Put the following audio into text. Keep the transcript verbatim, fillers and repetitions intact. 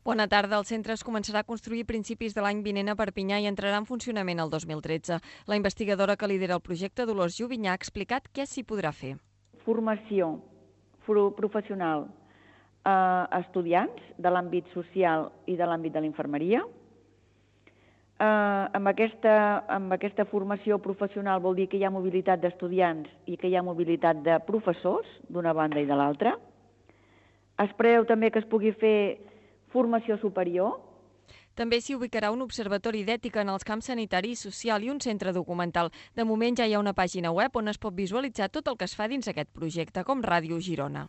Bona tarda. El centre es començarà a construir a principis de l'any vinent a Perpinyà i entrarà en funcionament el dos mil tretze. La investigadora que lidera el projecte, Dolors Jubinyà, ha explicat què s'hi podrà fer. Formació professional a estudiants de l'àmbit social i de l'àmbit de l'infermeria. Eh, amb, aquesta, amb aquesta formació professional vol dir que hi ha mobilitat d'estudiants i que hi ha mobilitat de professors, d'una banda i de l'altra. Es preveu també que es pugui fer formació superior. També s'hi ubicarà un observatori d'ètica en els camps sanitari i social i un centre documental. De moment ja hi ha una pàgina web on es pot visualitzar tot el que es fa dins aquest projecte, com Ràdio Girona.